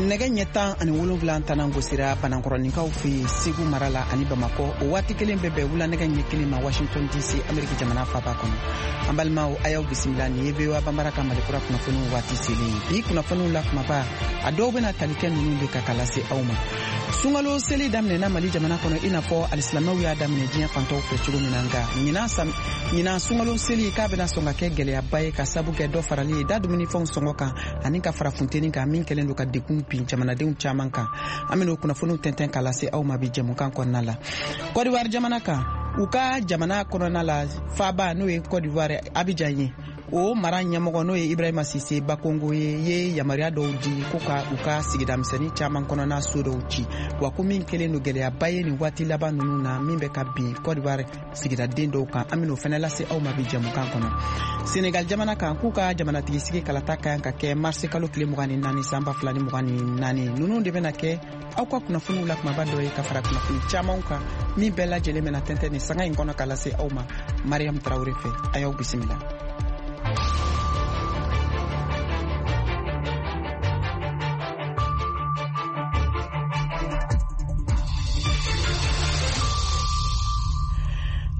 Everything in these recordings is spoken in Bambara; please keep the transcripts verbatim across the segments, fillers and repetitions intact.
Nɛgɛ ɲɛ tan ani wolonwula tanan gosira Banankɔrɔninkaw fɛ yen Segu mara la ani Bamakɔ. O waati kelen bɛ bɛn wula nɛgɛ ɲɛ kelen ma Washington D C, Ameriki jamana faba kɔnɔ. An balimaw, a y'aw bisimila. Nin ye V O A Banbara ka Malikura kunnafoniw waati selen ye. Bi kunnafoniw la kumaba, a dɔw bɛna tali kɛ ninnu de ka ka lase aw ma. Sunkalo seli daminɛna Mali jamana kɔnɔ, i n'a fɔ alisilamɛw y'a daminɛ diɲɛ fantɔw fɛ cogo min na. Nka ɲinan ɲinan sunkalo seli k'a bɛna sɔn ka kɛ gɛlɛyaba ye, ka sabu kɛ dɔ farali ye da dumunifɛnw sɔngɔ kan ani ka fara funteni kan, min kɛlen don ka degun bin jamanadenw caman kan. An bɛna o kunnafoniw tɛntɛn k'a lase aw ma bi jɛmukan kɔnɔna la. Kɔdiwari jamana kan, u ka jamana kɔnɔna la, faaba n'o ye Kɔdiwari Abijan ye, o mara ɲɛmɔgɔ n'o ye Ibrahima Sise Bakongo ye, ye yamaruya dɔw di ko ka u ka sigida misɛnnin caman kɔnɔna so dɔw ci, wa ko min kɛlen don gɛlɛyaba ye nin waati laban ninnu na, min bɛ ka bin Kɔdiwari sigidaden dɔw kan. An bɛn'o fɛnɛ lase aw ma bi jɛmukan kɔnɔ. Senegal jamana kan, k'u ka jamanatigi sigi kalata ka kan ka kɛ marisi kalo tile mugan ni naani san ba fila ni mugan ni naani. Ninnu de bɛna kɛ aw ka kunnafoniw la kumaba dɔ ye, ka fara kunnafoni camanw kan, min bɛɛ lajɛlen bɛna tɛntɛn nin sanga in kɔnɔ ka lase aw ma Mariam Tarawele fɛ. A y'aw bisimila.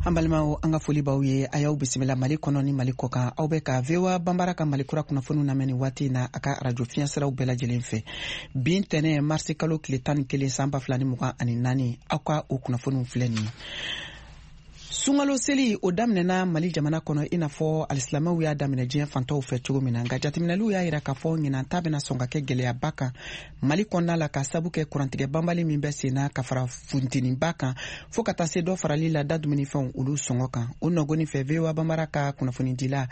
An balimaw, an ka foli b'aw ye. A y'aw bisimila Mali kɔnɔ ni Mali kɔkan. Aw bɛ ka V O A Banbara ka Mali kura kunnafoniw lamɛn nin waati na a ka arajo fiɲɛsiraw bɛɛ lajɛlen fɛ. Bi ntɛnɛ, marisi kalo tile tan ni kelen san ba fila ni mugan ani naani, aw ka o kunnafoniw filɛ nin ye. Sunkalo seli, o daminɛna Mali jamana kɔnɔ, i n'a fɔ alisilamɛw y'a daminɛ diɲɛ fantɔw fɛ cogo min na. Nka jateminɛliw y'a yira k'a fɔ ɲinan ta bɛna sɔn ka kɛ gɛlɛyaba kan Mali kɔnɔna la, ka sabu kɛ kurantigɛ banbali min bɛ sen na, ka fara funteniba kan, fɔɔ ka taa se dɔ farali la da dumunifɛnw olu sɔngɔ kan. O nɔgɔni fɛ, V O A Banbara ka kunnafonidila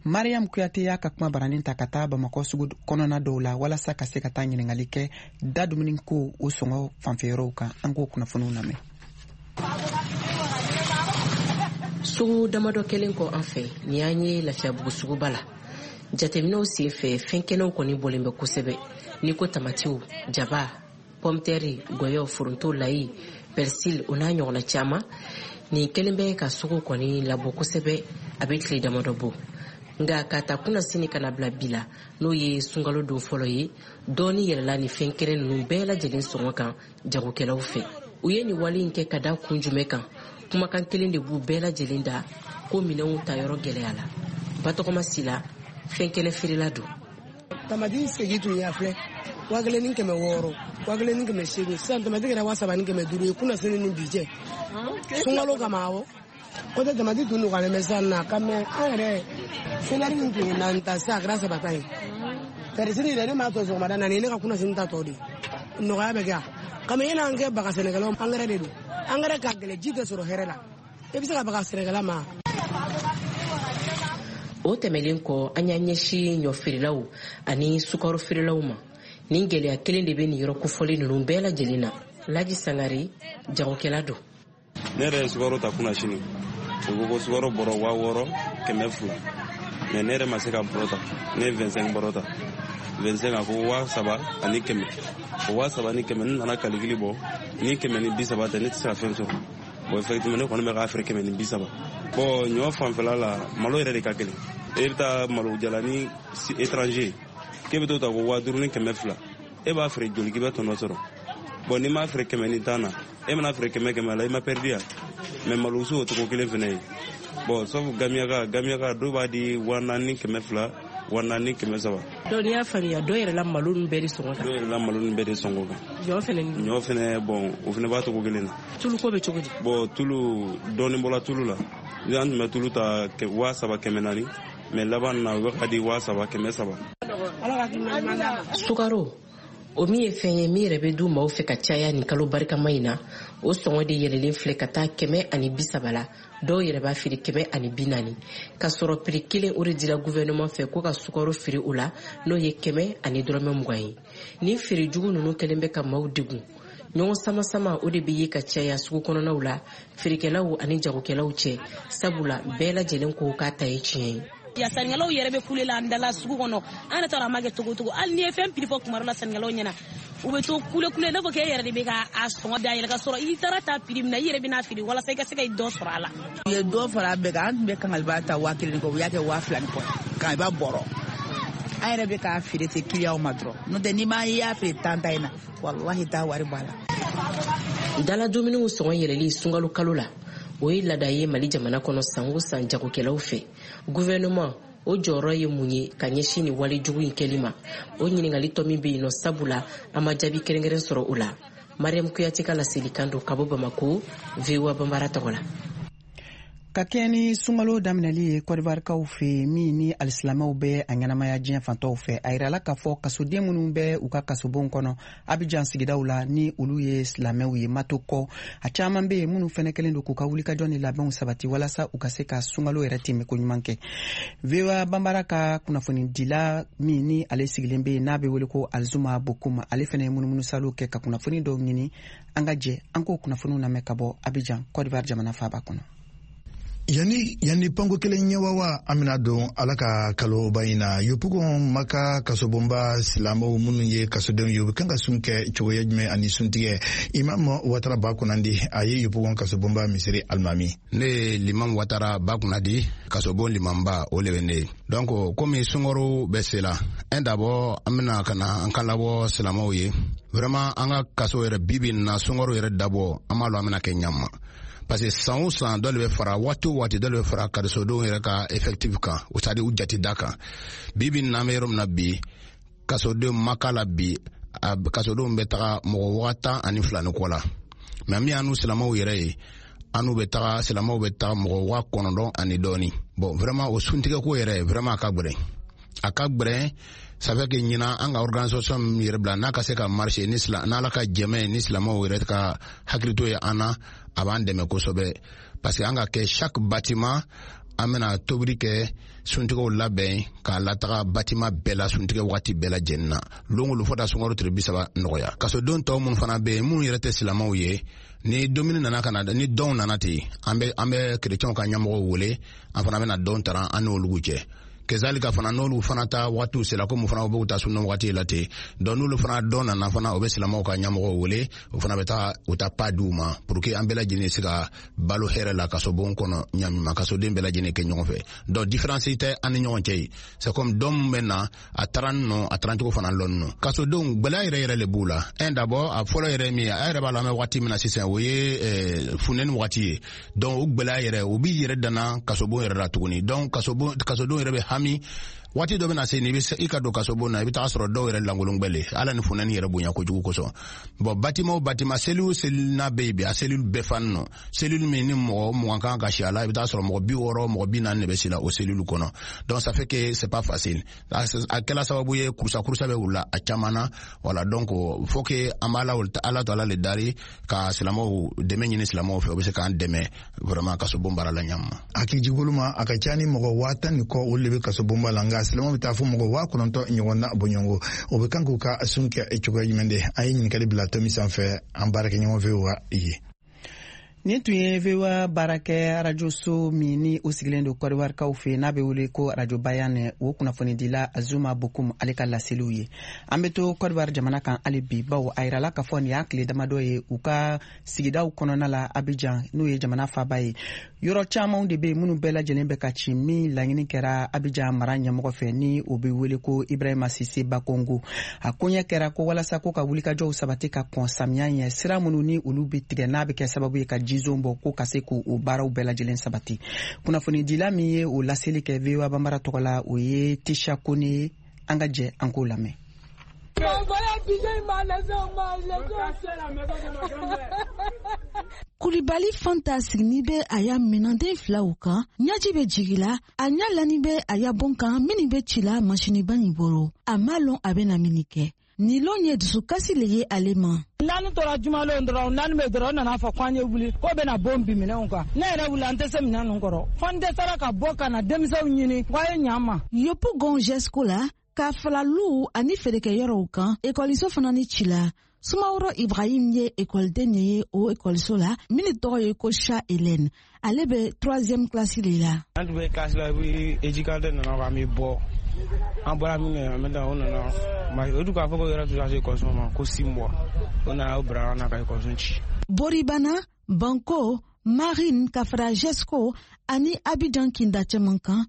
Mariam Kuyate y'a ka kuma baranin ta ka taa Bamakɔ sugu kɔnɔna dɔw la, walasa ka se ka taa ɲiningali kɛ da dumuni ko o sɔngɔ fanfɛyɔrɔw kan. An k'o kunnafoniw lamɛn. Sugu damadɔ kɛlen kɔ an fɛ, nin y'an ye Lafiyabugu suguba la. Jateminɛw sen fɛ, fɛn kɛnɛw kɔni bɔlen bɛ kosɛbɛ, n'i ko tamatiw, jaba, pɔmtɛri, gɔyɔ, foronto, layi, persil, o n'a ɲɔgɔnna caman. Nin kɛlen bɛ ka sugu kɔni labɔ kosɛbɛ a bɛ tile damadɔ bɔ. Nka ka ta kunna sini ka na bila bi la, n'o ye sunkalo don fɔlɔ ye, dɔɔni yɛlɛla ni fɛn kɛnɛ ninnu bɛɛ lajɛlen sɔngɔ kan jagokɛlaw fɛ. U ye nin wale in kɛ ka da kun jumɛn kan? Kumakan kelen de b'u bɛɛ lajɛlen da, ko minɛnw ta yɔrɔ gɛlɛya la. Batɔgɔma Sila, fɛn kɛnɛ feerela don. Tamati segi tun y'a filɛ waa kelen ni kɛmɛ wɔɔrɔ, waa kelen ni kɛmɛ seegin. Sisan tamati kɛra waa saba ni kɛmɛ duuru ye kunna sini ni bi cɛ, sunkalo kama. Awɔ, o tɛ tamati tun nɔgɔyalen bɛ sisan na ka mɛ. An yɛrɛ selɛri min tun ye naani ta, sisan a kɛra saba ta ye. Persil yɛrɛ, ne m'a tɔ sɔgɔmada naani, ne ka kunna sini ta tɔ de nɔgɔya bɛ kɛ kami. E n'an kɛ baga sɛnɛkɛlaw, angɛrɛ de don. Angɛrɛ ka gɛlɛ, ji tɛ sɔrɔ hɛrɛ la, i bɛ se ka baga sɛnɛkɛla ma. O tɛmɛlen kɔ, an y'an ɲɛsin ɲɔ feerelaw ani sukaro feerelaw ma. Nin gɛlɛya kelen de bɛ nin yɔrɔ kofɔlen ninnu bɛɛ lajɛlen na. Laji Sangare, jagokɛla don. Ne yɛrɛ ye sukaro ta kunna sini, o ko ko sukaro bɔrɔ waa wɔɔrɔ kɛmɛ fila, mais ne yɛrɛ ma se ka bɔrɔ ta. Ne ye vingt-cinq bɔrɔ ta, vingt-cinq, a ko waa saba ani kɛmɛ. O waa saba ni kɛmɛ, ne nana calcul bɔ, ni kɛmɛ ni bi saba tɛ, ne tɛ se ka fɛn sɔrɔ. Bon, effectivement, ne kɔni bɛ k'a feere kɛmɛ ni bi saba. Bon, ɲɔ fanfɛla la, malo yɛrɛ de ka gɛlɛn. E bɛ taa malo jalani étranger k'e bɛ t'o ta ko waa duuru ni kɛmɛ fila, e b'a feere joli k'i bɛ tɔnɔ sɔrɔ? Bon, n'i m'a feere kɛmɛ ni tan na, e mana feere kɛmɛ kɛmɛ la, i ma perdu ya. Mais malosu o cogo kelen fɛnɛ ye. Bon, sauf gamiyaka, gamiyaka dɔw b'a di waa naani ni kɛmɛ fila, waa naani ni kɛmɛ saba. Donc n'i y'a faamuya, dɔ yɛrɛ la malo ninnu bɛɛ de sɔngɔ kan. Dɔw yɛrɛ la malo ninnu bɛɛ de sɔngɔ kan. Ɲɔ fɛnɛ ni? Ɲɔ fɛnɛ, bon, o fɛnɛ b'a cogo kelen na. Tulu ko bɛ cogo di? Bon, tulu, dɔɔni bɔla tulu la. Ni an tun bɛ tulu ta waa saba kɛmɛ naani, mais laban na u bɛ ka di waa saba kɛmɛ saba. Sukaro, o min ye fɛn ye min yɛrɛ bɛ du maaw fɛ ka caya nin kalo barikama in na, o sɔngɔ de yɛlɛlen filɛ ka taa kɛmɛ ani bi saba la. Dɔw yɛrɛ b'a feere kɛmɛ ani bi naani, ka sɔrɔ prix kelen o de dira gouvernement fɛ ko ka sukaro feere o la, n'o ye kɛmɛ ani dɔrɔmɛ mugan ye. Nin feere jugu ninnu kɛlen bɛ ka maaw degun. Ɲɔgɔn sama-sama o de bɛ ye ka caya sugu kɔnɔnaw la, feerekɛlaw ani jagokɛlaw cɛ, sabula bɛɛ lajɛlen ko k'a ta ye tiɲɛ ye. Ya sannikɛlaw yɛrɛ bɛ kule la an dala sugu kɔnɔ. An yɛrɛ t'a dɔn a ma kɛ cogo cogo. Hali n'i ye fɛn prix fɔ kuma dɔ la sannikɛlaw ɲɛna, u bɛ to kule kule, n'a fɔ k'e yɛrɛ de bɛ ka a sɔngɔ da yɛlɛ, ka sɔrɔ i taara ta prix min na, i yɛrɛ bɛna feere walasa i ka se ka dɔ sɔrɔ a la. U ye dɔ fara a bɛɛ kan. An tun bɛ kangaliba ta waa kelen ni kɔ, u y'a kɛ waa fila ni kɔ. Kangaliba bɔrɔ, An yɛrɛ bɛ k'a feere ten kiliyanw ma dɔrɔn, n'o tɛ n'i ma i y'a feere tan ta in na, walahi t'a wari bɔ a la. Dala dumuniw sɔngɔ yɛlɛli sunkalo kalo la, o ye laada ye Mali jamana kɔnɔ san o san jagokɛlaw fɛ. Gouvernement o jɔyɔrɔ ye mun ye ka ɲɛsin nin wale jugu in kɛli ma? O ɲininkali tɔ min bɛ yen nɔ, sabula an ma jaabi kɛrɛnkɛrɛn sɔrɔ o la. Mariam Kuyate ka laselikan don ka bɔ Bamako, V O A Banbara tɔgɔ la. Ka kɛɲɛ ni sunkalo daminɛli ye Kɔdiwarikaw fɛ, min ni alisilamɛw bɛ a ɲɛnamaya diɲɛ fantɔw fɛ, a yirala k'a fɔ kasoden minnu bɛ u ka kasobonw kɔnɔ Abijan sigidaw la, ni olu ye silamɛw ye mato kɔ, a caman bɛ yen minnu fɛnɛ kɛlen don k'u ka wulikajɔ ni labɛnw sabati walasa u ka se ka sunkalo yɛrɛ tɛmɛko ɲuman kɛ. V O A Banbara ka kunnafonidila min ni ale sigilen bɛ yen n'a bɛ wele ko Alizuma Bokum, ale fɛnɛ ye munumunusalo kɛ ka kunnafoni dɔw ɲini. An ka jɛ an k'o kunnafoniw lamɛn ka bɔ Abijan, Kɔdiwari jamana faaba kɔnɔ. Yani yani panko kelen ɲɛwawa, an bɛna don Ala ka kaloba in na. Yopougon Maka kasobonba silamɛw minnu ye kasodenw ye, u bɛ kan ka sun kɛ cogoya jumɛn ani suntigɛ? Imam Watara Bakunandi, a ye Yopougon kasobonba misiri alimami. Ne ye Limam Watara Bakunandi, kasobon limamba, o le bɛ ne ye. Donc komi sunkaro bɛ se la, un d'abord an bɛna ka na an kan labɔ silamɛw ye. Vraiment an ka kaso yɛrɛ bi bi in na, sunkaro yɛrɛ dabɔ, an b'a lɔn an bɛna kɛ ɲama, parce que san o san dɔ de bɛ fara, waati o waati dɔ de bɛ fara kasodenw yɛrɛ ka effectif kan, o c'est à dire u jate da kan. Bi bi in na, an bɛ yɔrɔ min na bi, kasodenw Maka la bi, a kasodenw bɛ taga mɔgɔ waa tan ani fila ni kɔ la. Mais min y'an n'u silamɛw yɛrɛ ye, an n'u bɛ taga, silamɛw bɛ taga mɔgɔ waa kɔnɔntɔn ani dɔɔni. Bon, vraiment o suntigɛko yɛrɛ, vraiment a ka gwɛrɛ, a ka gwɛrɛ. Ça fait que ɲinan an ka organisation min yɛrɛ bila n'a ka se ka marcher, ni n'Ala ka jɛmɛ ni silamɛw yɛrɛ ka hakilito ye an na, a b'an dɛmɛ kosɛbɛ, parce que an ka kɛ chaque bâtiment, an bɛna tobili kɛ, suntigɛw labɛn k'a lataga bâtiment bɛɛ la, suntigɛ wagati bɛɛ lajɛlen na, lon o lon, fo taa sunkalo tile bi saba nɔgɔya. Kasoden tɔw minnu fana bɛ yen, minnu yɛrɛ tɛ silamɛw ye, ni dumuni nana ka na, ni dɔnw nana ten, an bɛ an bɛ kerecɛnw ka ɲɛmɔgɔw wele, an fana bɛna dɔn tara an n'olu cɛ. Kezalika fana, n'olu fana ta waatiw sera, komi fana b'u ta sunna waati la ten, donc n'olu fana dɔn nana fana, o bɛ silamɛw ka ɲɛmɔgɔw wele, o fana bɛ taa u ta pa d'u ma pour que an bɛɛ lajɛlen se ka balo hɛrɛ la kasobon kɔnɔ ɲamima, kasoden bɛɛ lajɛlen kɛ ɲɔgɔn fɛ. Donc différence tɛ an ni ɲɔgɔn cɛ ye, c'est comme dɔn min bɛ na a taara nɔ, a taara cogo fana lɔn nɔ. Kasodenw gwɛlɛya yɛrɛ yɛrɛ le b'u la. Un d'abord, a fɔlɔ yɛrɛ min ye, a yɛrɛ b'a la, an bɛ waati min na sisan, o ye funteni waati ye. Donc o gwɛlɛya yɛrɛ, o b'i yɛrɛ danna kasobon yɛrɛ la tuguni. Donc kasobon, kasodenw yɛrɛ bɛ hami. Waati dɔ bɛna se ni i ka don kasobon na, i bɛ taga sɔrɔ dɔw yɛrɛ lankolon gbɛle, ala ni funteni yɛrɛ bonya kojugu kosɔn. Bon, bâtiment o bâtiment, cellule o cellule n'a bɛ yen bi, a cellule bɛɛ fani nɔ. Cellule min ni mɔgɔ mugan kan ka si a la, i bɛ taa sɔrɔ mɔgɔ bi wɔɔrɔ, mɔgɔ bi naani de bɛ si la o cellule kɔnɔ. Donc ça fait que c'est pas facile. A kɛla sababu ye, kurusa kurusa bɛ wula a caman na. Voilà, donc faut que an b'a la Ala to Ala le dari ka silamɛw dɛmɛ ɲini silamɛw fɛ, o bɛ se k'an dɛmɛ vraiment kasobon baara la ɲama. Hakili ma, a ka ca ni mɔgɔ waa tan ni kɔ, olu de bɛ kasobonba la, nka silamɛw bɛ taa fo mɔgɔ waa kɔnɔntɔn ɲɔgɔn na bɔɲɔgɔnko. O bɛ kan k'u ka sun kɛ cogoya jumɛn de? An ye ɲininkali bila tomi sanfɛ, an baarakɛɲɔgɔn fɛ wa ye. Nin tun ye V O A baarakɛ arajoso min ni o sigilen don Kɔdiwarikaw fɛ, n'a bɛ wele ko Arajo Bayan, o kunnafonidila Azuma Bokum, ale ka laseliw ye. An bɛ to Kɔdiwari jamana kan hali bi, bawo a yirala k'a fɔ nin y'a tile damadɔ ye, u ka sigidaw kɔnɔna la Abijan, n'o ye jamana faaba ye, yɔrɔ camanw de bɛ yen minnu bɛɛ lajɛlen bɛ ka ci, min laɲini kɛra Abijan mara ɲɛmɔgɔ fɛ, ni o bɛ wele ko Ibrahima Sise Bakongo. A koɲɛ kɛra ko walasa ko ka wulikajɔw sabati ka kɔn samiya ɲɛ, sira minnu ni olu bɛ tigɛ, n'a bɛ kɛ sababu ye ka jizon bɔ, ko ka se k'o baaraw bɛɛ lajɛlen sabati. Kunnafonidila min ye o laseli kɛ V O A Banbara tɔgɔ la, o ye Tisha Kone ye. An ka jɛ an k'o lamɛn. Kulibali Fanta sigini bɛ a ya minanden filaw kan, ɲaji bɛ jigila, a ɲa lani bɛ a ya bon kan minnu bɛ cila masiniba nin bolo. A m'a lɔn a bɛna min kɛ. Nin lon ye dusukasi le ye ale ma. Naani tora jumalon dɔrɔn, naani bɛ dɔrɔn, o nana fɔ k'an ye wuli k'o bɛna bon bin minɛnw kan. Ne yɛrɛ wuli, an tɛ se minɛn ninnu kɔrɔ, fo n dɛsɛra ka bɔ ka na denmisɛnw ɲini k'a ye ɲa n ma. Yopougon Gesco la, ka fala luw ani feerekɛyɔrɔw kan, ekɔliso fana ni cila. Sumaworo Ibrahim ye ekɔliden de ye o ekɔliso la min tɔgɔ ye ko Sha Hélène. Ale bɛ troisième classe de la. An tun bɛ classe la, i éducateur nana k'an bɛ bɔ. An bɔra min kɛ, an bɛ taa, o nana o dun k'a fɔ ko yɔrɔ tun ka se ekɔliso ma ko six mois, o nana o bila an na ka ekɔliso ci. Boribana, Banko, Marine, ka fara Gesco ani Abidjan kinda caman kan.